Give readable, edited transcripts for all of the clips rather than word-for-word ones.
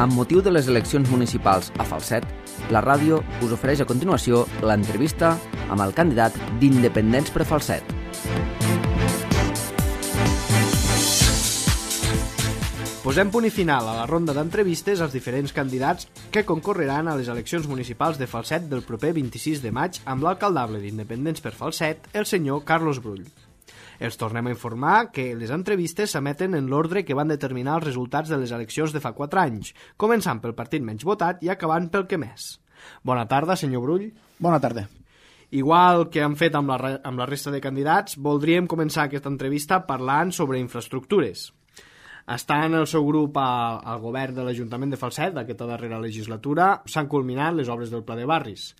Amb motiu de les eleccions municipals a Falset, la ràdio us ofereix a continuació l'entrevista amb el candidat d'Independents per Falset. Posem punt i final a la ronda d'entrevistes als diferents candidats que concorreran a les eleccions municipals de Falset del proper 26 de maig amb l'alcaldable d'Independents per Falset, el senyor Carlos Brull. Els tornem a informar que les entrevistes s'emeten en l'ordre que van determinar els resultats de les eleccions de fa 4 anys, començant pel partit menys votat i acabant pel que més. Bona tarda, senyor Brull. Bona tarda. Igual que han fet amb la resta de candidats, voldríem començar aquesta entrevista parlant sobre infraestructures. Està en el seu grup al govern de l'Ajuntament de Falset d'aquesta darrera legislatura, s'han culminat les obres del Pla de Barris.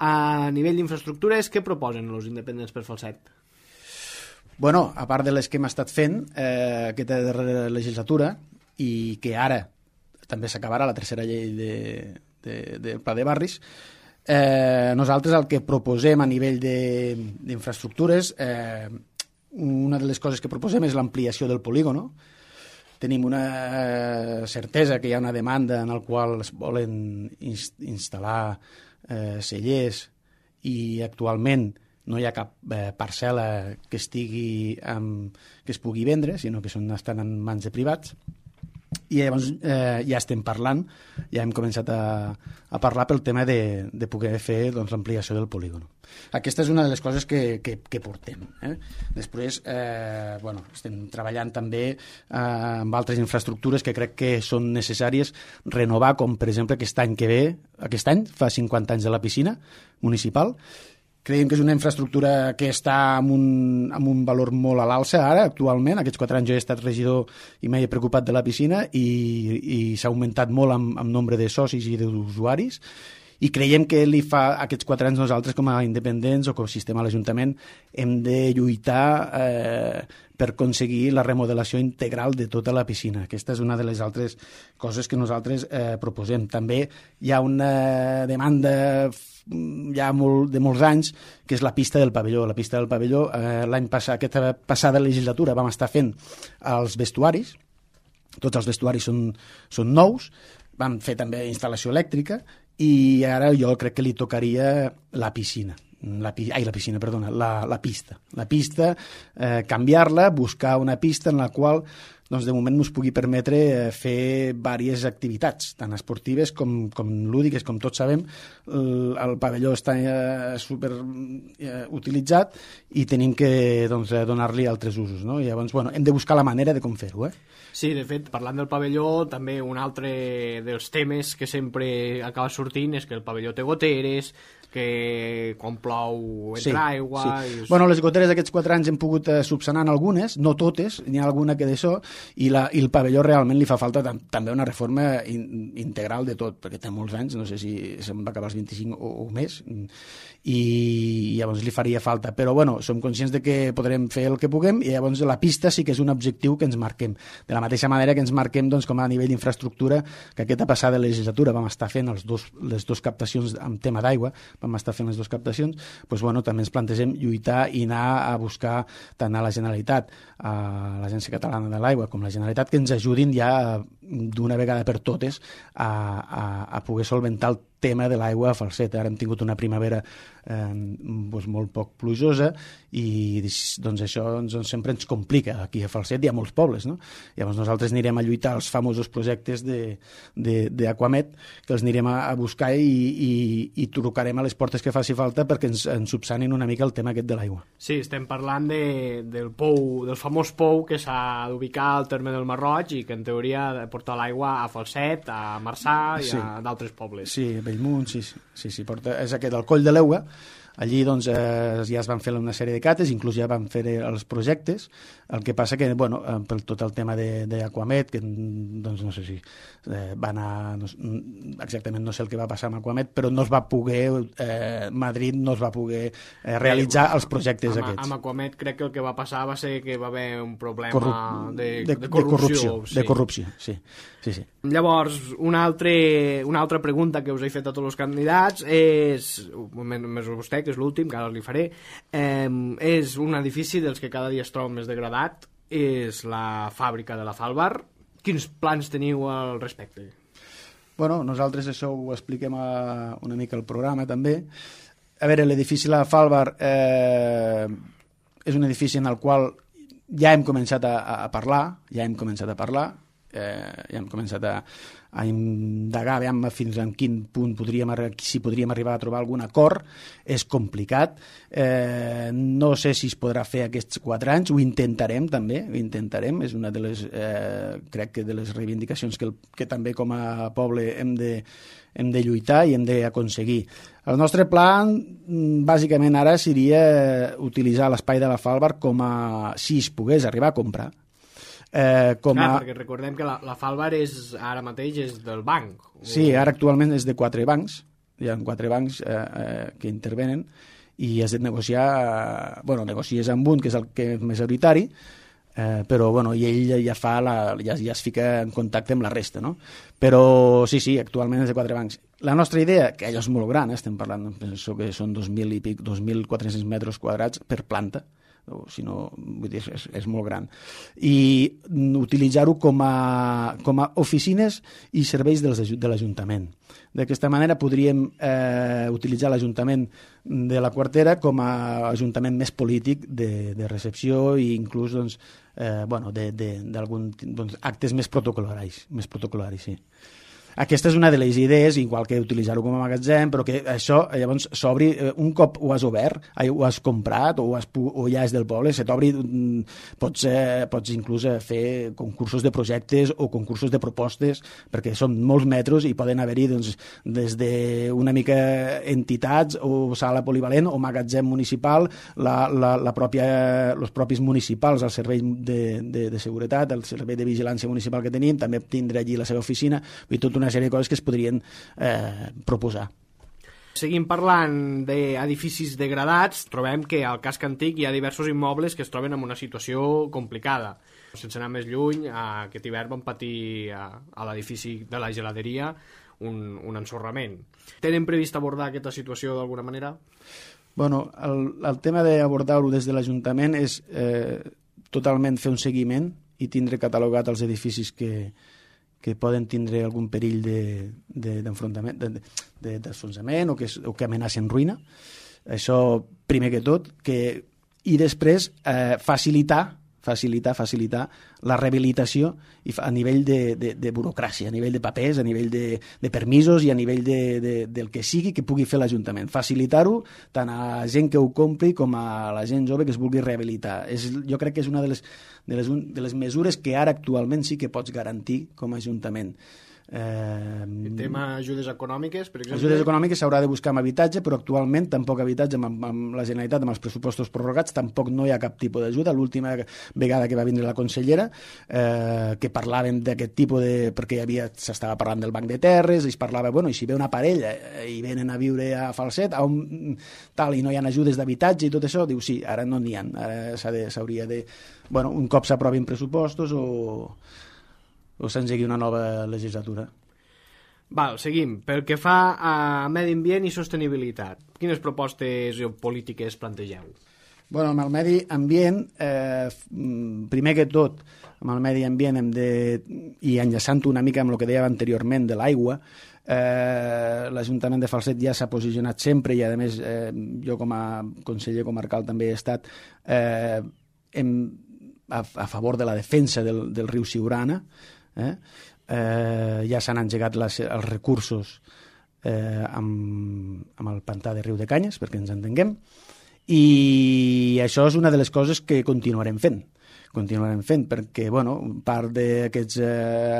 A nivell d'infraestructures, què proposen els independents per Falset? Bueno, a part de les que hem estat fent aquesta darrera legislatura i que ara també s'acabarà la tercera llei del Pla de Barris, nosaltres el que proposem a nivell d'infraestructures, una de les coses que proposem és l'ampliació del polígono. Tenim una certesa que hi ha una demanda en la qual es volen instal·lar cellers i actualment no hi ha cap parcel·la que es pugui vendre, sinó que estan en mans de privats. I llavors ja estem parlant, ja hem començat a parlar pel tema de poder fer l'ampliació del polígon. Aquesta és una de les coses que portem. Després, estem treballant també amb altres infraestructures que crec que són necessàries renovar, com per exemple aquest any fa 50 anys de la piscina municipal. Creiem que és una infraestructura que està amb un valor molt a l'alça ara, actualment. Aquests 4 anys jo he estat regidor i m'he preocupat de la piscina i s'ha augmentat molt amb nombre de socis i d'usuaris. I creiem que aquests 4 anys nosaltres com a independents o com a sistema a l'Ajuntament hem de lluitar per aconseguir la remodelació integral de tota la piscina. Aquesta és una de les altres coses que nosaltres proposem. També hi ha una demanda ja de molts anys, que és la pista del pavelló. La pista del pavelló, l'any passat, aquesta passada legislatura, vam estar fent els vestuaris. Tots els vestuaris són nous. Vam fer també instal·lació elèctrica i ara jo crec que li tocaria la pista. La pista, canviar-la, buscar una pista en la qual de moment ens pugui permetre fer diverses activitats, tant esportives com lúdiques. Com tots sabem, el pavelló està super utilitzat i tenim que donar-li altres usos, no? I llavors, hem de buscar la manera de com fer-ho. Sí, de fet, parlant del pavelló, també un altre dels temes que sempre acaba sortint és que el pavelló té goteres, que quan plou entra aigua... Sí. Bueno, les goteres d'aquests 4 anys hem pogut subsanar algunes, no totes, n'hi ha alguna que d'això, i el pavelló realment li fa falta també una reforma integral de tot, perquè té molts anys, no sé si se'n va acabar els 25 o més, i llavors li faria falta. Però, som conscients de que podrem fer el que puguem i llavors la pista sí que és un objectiu que ens marquem. De la mateixa manera que ens marquem com a nivell d'infraestructura, que aquesta passada legislatura vam estar fent les dues captacions amb tema d'aigua, vam estar fent les 2 captacions, també ens plantegem lluitar i anar a buscar tant a la Generalitat, a l'Agència Catalana de l'Aigua, com la Generalitat, que ens ajudin ja d'una vegada per totes a poder solventar el tema de l'aigua a Falset. Ara hem tingut una primavera molt poc plujosa i això sempre ens complica aquí a Falset i a molts pobles, no? Llavors nosaltres anirem a lluitar els famosos projectes d'Aquamet, que els anirem a buscar i trucarem a les portes que faci falta perquè ens subsanin una mica el tema aquest de l'aigua. Sí, estem parlant del famós pou que s'ha d'ubicar al terme del Marroig i que en teoria ha de portar l'aigua a Falset, a Marçà i a d'altres pobles. Sí, Bellmunt, sí, és aquest, el Coll de l'Euga. Allí ja es van fer una sèrie de cates, inclús ja van fer els projectes. El que passa que, per tot el tema d'Aquamet, que no sé si va anar... Exactament no sé el que va passar amb Aquamet, però no es va poder... Madrid no es va poder realitzar els projectes aquests. Amb Aquamet crec que el que va passar va ser que va haver un problema de corrupció. De corrupció, sí. Llavors, una altra pregunta que us he fet a tots els candidats és, més vostè, que és l'últim, que ara li faré, és un edifici dels que cada dia es troba més degradat, és la fàbrica de la Falbar. Quins plans teniu al respecte? Bueno, nosaltres això ho expliquem una mica al programa també. A veure, l'edifici La Falvar és un edifici en el qual ja hem començat a parlar, ja hem començat a indagar fins a quin punt si podríem arribar a trobar algun acord. És complicat, no sé si es podrà fer aquests 4 anys, ho intentarem també, és una de les crec que de les reivindicacions que també com a poble hem de lluitar i hem d'aconseguir. El nostre pla bàsicament ara seria utilitzar l'espai de La Falvar si es pogués arribar a comprar. Perquè recordem que la Falvar ara mateix és del banc. Sí, ara actualment és de 4 bancs, hi ha 4 bancs que intervenen i has de negociar, negocies amb un que és el que és majoritari, però i ell ja es fica en contacte amb la resta, no? Però sí, actualment és de 4 bancs. La nostra idea, que allò és molt gran, estem parlant, penso que són 2.400 metres quadrats per planta, si no, vull dir, és molt gran, i utilitzar-ho com a oficines i serveis de l'Ajuntament. D'aquesta manera podríem utilitzar l'Ajuntament de la Quartera com a ajuntament més polític de recepció i inclús d'alguns actes més protocol·laris, sí. Aquesta és una de les idees, igual que utilitzar-ho com a magatzem, però que això llavors s'obri, un cop ho has obert, ho has comprat o ja és del poble, se t'obri, pots inclús fer concursos de projectes o concursos de propostes, perquè són molts metres i poden haver-hi des d'una mica entitats o sala polivalent o magatzem municipal, els propis municipals, el servei de seguretat, el servei de vigilància municipal que tenim, també tindrà allí la seva oficina, i tot una sèrie de coses que es podrien proposar. Seguim parlant d'edificis degradats, trobem que al casc antic hi ha diversos immobles que es troben en una situació complicada. Sense anar més lluny, aquest hivern vam patir a l'edifici de la geladeria un ensorrament. Tenen previst abordar aquesta situació d'alguna manera? Bueno, el tema d'abordar-ho des de l'Ajuntament és totalment fer un seguiment i tindre catalogat els edificis que poden tindre algun perill d'enfonsament o que amenacen ruïna. Això, primer que tot, i després facilitar la rehabilitació a nivell de burocràcia, a nivell de papers, a nivell de permisos i a nivell del que sigui que pugui fer l'Ajuntament. Facilitar-ho tant a gent que ho compri com a la gent jove que es vulgui rehabilitar. Jo crec que és una de les mesures que ara actualment sí que pots garantir com a Ajuntament. El tema ajudes econòmiques, per exemple? Ajudes econòmiques s'haurà de buscar amb habitatge, però actualment tampoc habitatge amb la Generalitat, amb els pressupostos prorrogats, tampoc no hi ha cap tipus d'ajuda. L'última vegada que va vindre la consellera, que parlàvem d'aquest tipus perquè s'estava parlant del banc de terres, i es parlava, i si ve una parella i venen a viure a Falset, i no hi ha ajudes d'habitatge i tot això, diu sí, ara no n'hi ha, ara s'hauria de... un cop s'aprovin pressupostos o s'engegui una nova legislatura. Seguim. Pel que fa a medi ambient i sostenibilitat, quines propostes o polítiques plantegeu? Amb el medi ambient, primer que tot, amb el medi ambient i enllaçant una mica amb el que dèiem anteriorment de l'aigua, l'Ajuntament de Falset ja s'ha posicionat sempre i, a més, jo com a conseller comarcal també he estat a favor de la defensa del riu Siurana. Ja s'han engegat els recursos amb el pantà de Riu de Canyes, perquè ens entenguem, i això és una de les coses que continuarem fent, perquè part d'aquests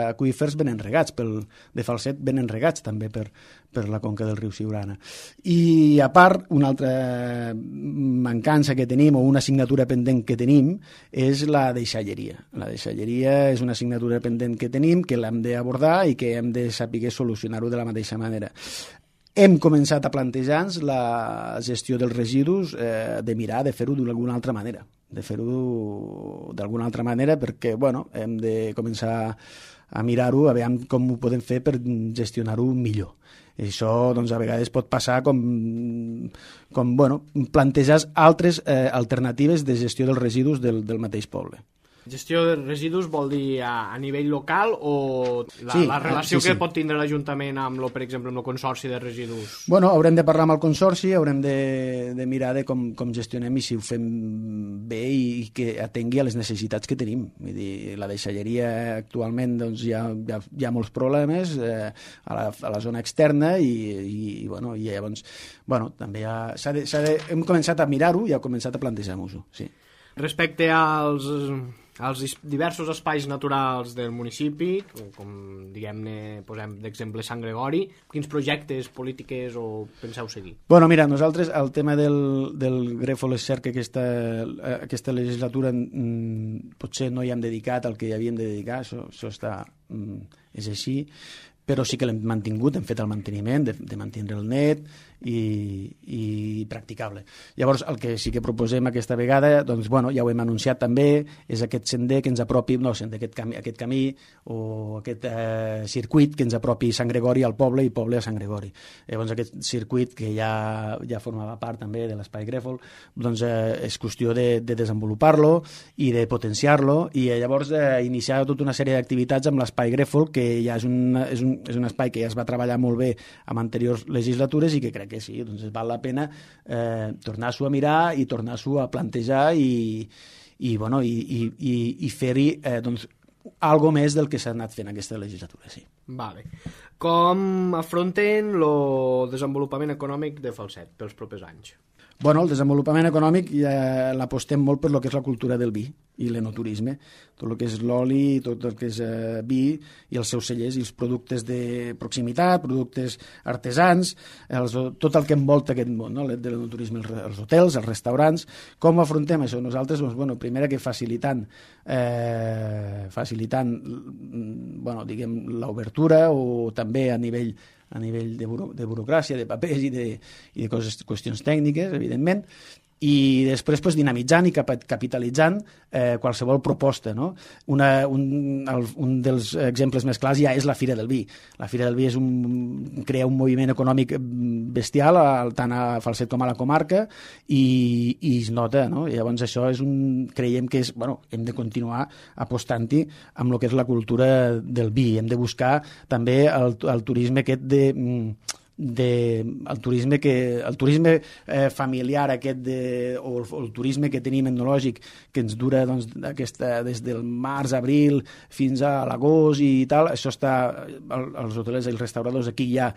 aqüífers venen regats, de Falset venen regats també per la conca del riu Siurana. I a part, una altra mancança que tenim, o una assignatura pendent que tenim, és la deixalleria. La deixalleria és una assignatura pendent que tenim, que l'hem d'abordar i que hem de saber solucionar-ho de la mateixa manera. Hem començat a plantejar-nos la gestió dels residus, de mirar de fer-ho d'alguna altra manera. Perquè hem de començar a mirar-ho, a veure com ho podem fer per gestionar-ho millor. I això a vegades pot passar com plantejar altres alternatives de gestió dels residus del mateix poble. Gestió de residus vol dir a nivell local o la relació que pot tindre l'Ajuntament amb, per exemple, amb el Consorci de Residus? Bueno, haurem de parlar amb el Consorci, haurem de mirar de com gestionem i si ho fem bé i que atengui a les necessitats que tenim. Vull dir, la deixalleria actualment doncs, hi ha molts problemes a la zona externa i llavors també hem començat a mirar-ho i hem començat a plantejar-nos-ho, sí. Respecte als diversos espais naturals del municipi, com diguem-ne, posem d'exemple Sant Gregori, quins projectes, polítiques o penseu seguir? Bueno, mira, nosaltres el tema del grèfol és cert que aquesta legislatura potser no hi hem dedicat el que hi havíem de dedicar, això és així, però sí que l'hem mantingut, hem fet el manteniment de mantenir el net i practicable. Llavors, el que sí que proposem aquesta vegada, doncs, ja ho hem anunciat també, és aquest sender que ens apropi, aquest camí o aquest circuit que ens apropi Sant Gregori al poble i poble a Sant Gregori. Llavors, aquest circuit que ja formava part també de l'espai grèfol, doncs és qüestió de desenvolupar-lo i de potenciar-lo i llavors iniciar tota una sèrie d'activitats amb l'espai grèfol, que ja és un espai que ja es va treballar molt bé en anteriors legislatures i que crec que sí, doncs val la pena tornar-s'ho a mirar i tornar-s'ho a plantejar i fer-hi algo més del que s'ha anat fent aquesta legislatura, sí. Vale. Com afronten el desenvolupament econòmic de Falset pels propers anys? Bueno, el desenvolupament econòmic l'apostem molt per lo que és la cultura del vi i l'enoturisme, tot el que és l'oli, tot el que és vi i els seus cellers i els productes de proximitat, productes artesans, tot el que envolta aquest món, no? De l'enoturisme, els hotels, els restaurants. Com afrontem això? Nosaltres, doncs, primera que facilitant diguem, l'obertura o també a nivell de burocràcia, de papers i de qüestions tècniques, evidentment, i després dinamitzant i capitalitzant qualsevol proposta, no? Un dels exemples més clars ja és la Fira del Vi. La Fira del Vi crea un moviment econòmic bestial tant a Falset com a la comarca i es nota, no? I llavors això creiem que hem de continuar apostant-hi amb el que és la cultura del vi. Hem de buscar també el turisme aquest el turisme familiar aquest o el turisme que tenim etnològic que ens dura des del març, abril fins a l'agost i tal, això està els hotelers i els restauradors aquí ja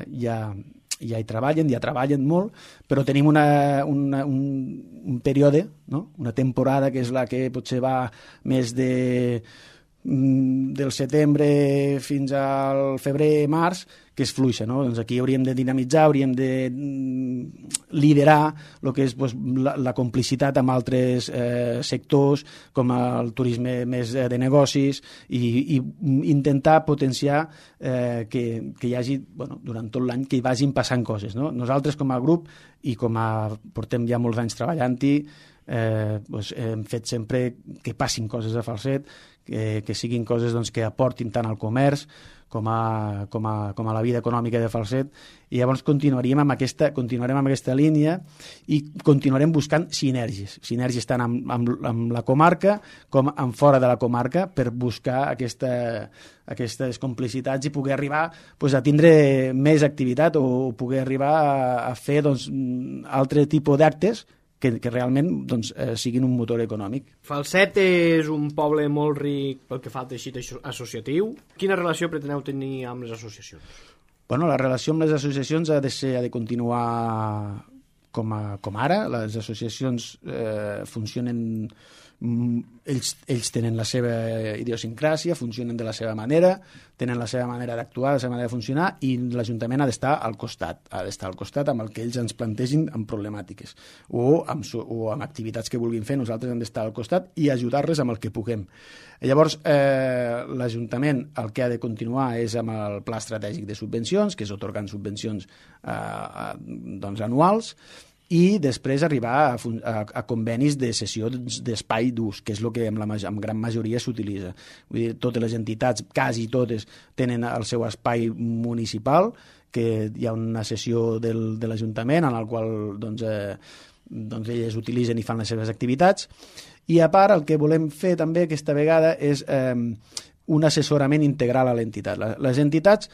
hi treballen molt, però tenim un període, no? Una temporada que és la que potser va més del setembre fins al febrer-març, que és fluixa, no? Doncs aquí hauríem de dinamitzar, hauríem de liderar el que és la complicitat amb altres sectors, com el turisme més de negocis, i intentar potenciar que hi hagi, durant tot l'any, que hi vagin passant coses, no? Nosaltres, com a grup, i portem ja molts anys treballant-hi, hem fet sempre que passin coses a Falset, que siguin coses que aportin tant al comerç com a la vida econòmica de Falset, i llavors continuarem amb aquesta línia i continuarem buscant sinergies tant amb la comarca com amb fora de la comarca per buscar aquestes complicitats i poder arribar a tindre més activitat o poder arribar a fer altre tipus d'actes que realment siguin un motor econòmic. Falset és un poble molt ric pel que fa al teixit associatiu. Quina relació preteneu tenir amb les associacions? La relació amb les associacions ha de continuar com ara. Les associacions funcionen, ells tenen la seva idiosincràsia, funcionen de la seva manera, tenen la seva manera d'actuar, la seva manera de funcionar, i l'Ajuntament ha d'estar al costat, amb el que ells ens plantegin amb problemàtiques o amb activitats que vulguin fer. Nosaltres hem d'estar al costat i ajudar-les amb el que puguem. Llavors, l'Ajuntament el que ha de continuar és amb el Pla Estratègic de Subvencions, que és atorgant subvencions anuals, i després arribar a convenis de cessió d'espai d'ús, que és el que en gran majoria s'utilitza. Vull dir, totes les entitats, quasi totes, tenen el seu espai municipal, que hi ha una cessió de l'Ajuntament en el qual elles utilitzen i fan les seves activitats, I a part, el que volem fer també aquesta vegada és un assessorament integral a l'entitat. Les entitats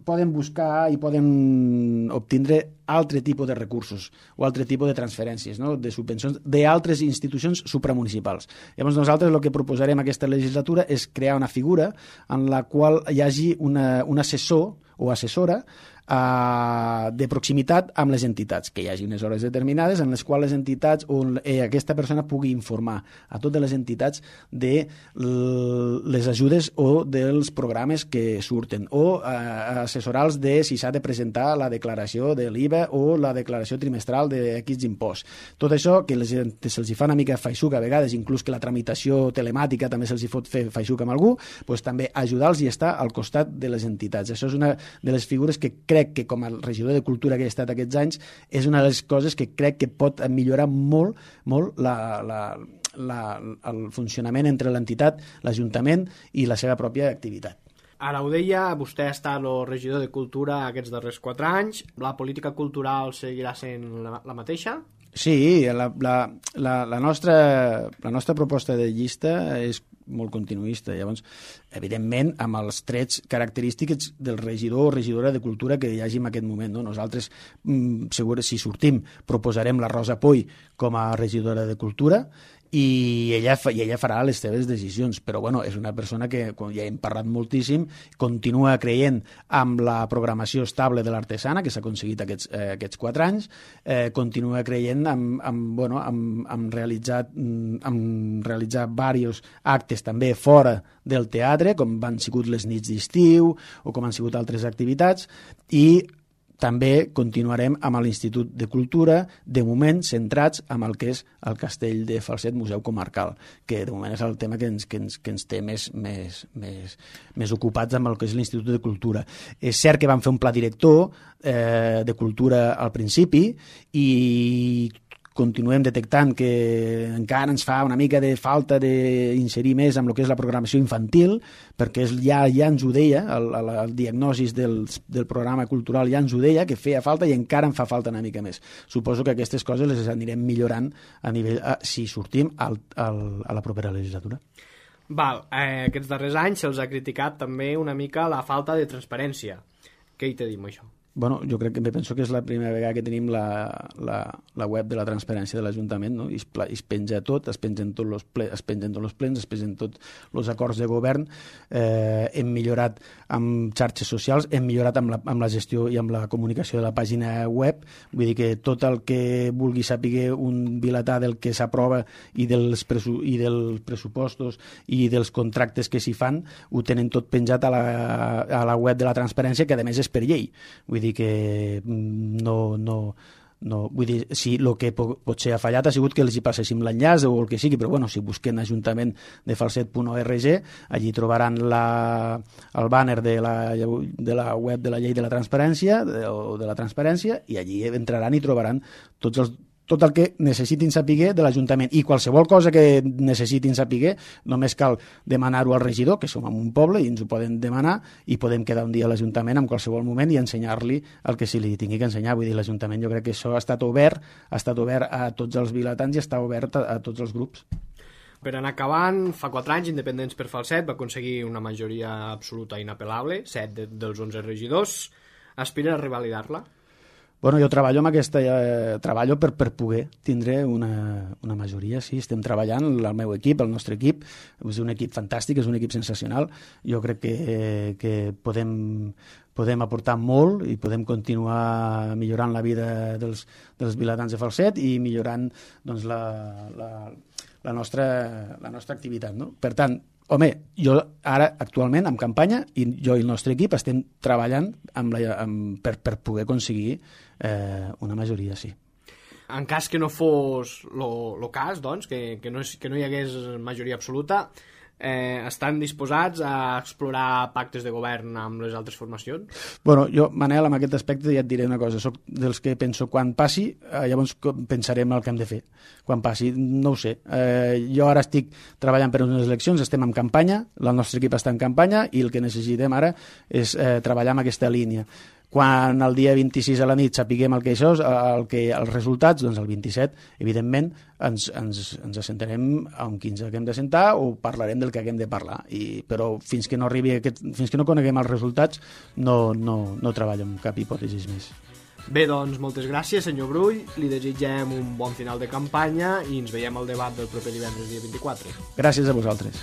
poden buscar i poden obtindre altre tipus de recursos o altre tipus de transferències, no? De subvencions d'altres institucions supramunicipals. Llavors nosaltres el que proposarem aquesta legislatura és crear una figura en la qual hi hagi un assessor o assessora de proximitat amb les entitats, que hi hagi unes hores determinades en les quals les entitats o aquesta persona pugui informar a totes les entitats de les ajudes o dels programes que surten, o assessorar-los de si s'ha de presentar la declaració de l'IVA o la declaració trimestral d'X impost. Tot això que se'ls fa una mica feixuc a vegades, inclús que la tramitació telemàtica també se'ls pot fer feixuc amb algú, doncs també ajudar-los i estar al costat de les entitats. Això és una de les figures que crec que com a regidor de Cultura que he estat aquests anys és una de les coses que crec que pot millorar molt el funcionament entre l'entitat, l'Ajuntament i la seva pròpia activitat. Ara ho deia, vostè ha estat el regidor de Cultura aquests darrers 4 anys. La política cultural seguirà sent la mateixa? Sí, la nostra proposta de llista és molt continuista. Llavors, evidentment, amb els trets característics del regidor o regidora de Cultura que hi hagi en aquest moment. No? Nosaltres, segur, si sortim, proposarem la Rosa Puy com a regidora de Cultura i ella farà les seves decisions, però bueno, és una persona que, com ja hem parlat moltíssim, continua creient amb la programació estable de l'Artesana, que s'ha aconseguit aquests 4 anys, continua creient en realitzar diversos actes també fora del teatre, com han sigut les nits d'estiu o com han sigut altres activitats, i també continuarem amb l'Institut de Cultura, de moment centrats amb el que és el Castell de Falset Museu Comarcal, que de moment és el tema que ens té més ocupats amb el que és l'Institut de Cultura. És cert que vam fer un pla director de cultura al principi i continuem detectant que encara ens fa una mica de falta d'inserir més amb el que és la programació infantil, perquè ja ens ho deia, el diagnòstic del programa cultural ja ens ho deia, que feia falta i encara en fa falta una mica més. Suposo que aquestes coses les anirem millorant a nivell, si sortim a la propera legislatura. Aquests darrers anys se'ls ha criticat també una mica la falta de transparència. Què hi té a dir amb això? Bueno, jo crec que penso que és la primera vegada que tenim la web de la transparència de l'Ajuntament, no? Es penja tot, es pengen tots els plens, es pengen tots els acords de govern, hem millorat amb xarxes socials, hem millorat amb la gestió i amb la comunicació de la pàgina web, vull dir que tot el que vulgui saber un vilatà del que s'aprova i dels pressupostos i dels contractes que s'hi fan, ho tenen tot penjat a la web de la transparència, que a més és per llei. Vull dir que vull dir, si el que potser ha fallat ha sigut que els hi passéssim l'enllaç o el que sigui, però bueno, si busquen ajuntament de falset.org, allí trobaran el banner de la web de la llei de la transparència o de la transparència, i allí entraran i trobaran tot el que necessitin saber de l'Ajuntament, i qualsevol cosa que necessitin saber només cal demanar-ho al regidor, que som en un poble i ens ho poden demanar, i podem quedar un dia a l'Ajuntament en qualsevol moment i ensenyar-li el que se li tingui que ensenyar. Vull dir, l'Ajuntament, jo crec que això ha estat obert a tots els vilatans i està obert a tots els grups. Per anar acabant, fa 4 anys Independents per Falset va aconseguir una majoria absoluta inapel·lable, 7 dels 11 regidors. Aspira a revalidar-la? Bueno, jo treballo amb treballo per poder tindre una majoria, sí, estem treballant, el meu equip, el nostre equip, és un equip fantàstic, és un equip sensacional, jo crec que podem aportar molt i podem continuar millorant la vida dels vilatans de Falset i millorant doncs, la nostra activitat, no? Per tant, home, jo ara actualment en campanya i jo i el nostre equip estem treballant per poder aconseguir una majoria, sí. En cas que no fos el cas, doncs, que no hi hagués majoria absoluta, estan disposats a explorar pactes de govern amb les altres formacions? Bueno, jo, Manel, en aquest aspecte ja et diré una cosa. Soc dels que penso quan passi, llavors pensarem el que hem de fer. Quan passi, no ho sé. Jo ara estic treballant per unes eleccions, estem en campanya, el nostre equip està en campanya i el que necessitem ara és treballar en aquesta línia. Quan el dia 26 a la nit sapiguem els resultats, doncs el 27, evidentment, ens assentarem amb qui ens haguem d'assentar o parlarem del que haguem de parlar. Però fins que no coneguem els resultats no treballo amb cap hipòtesi més. Bé, doncs, moltes gràcies, senyor Brull. Li desitgem un bon final de campanya i ens veiem al debat del proper divendres dia 24. Gràcies a vosaltres.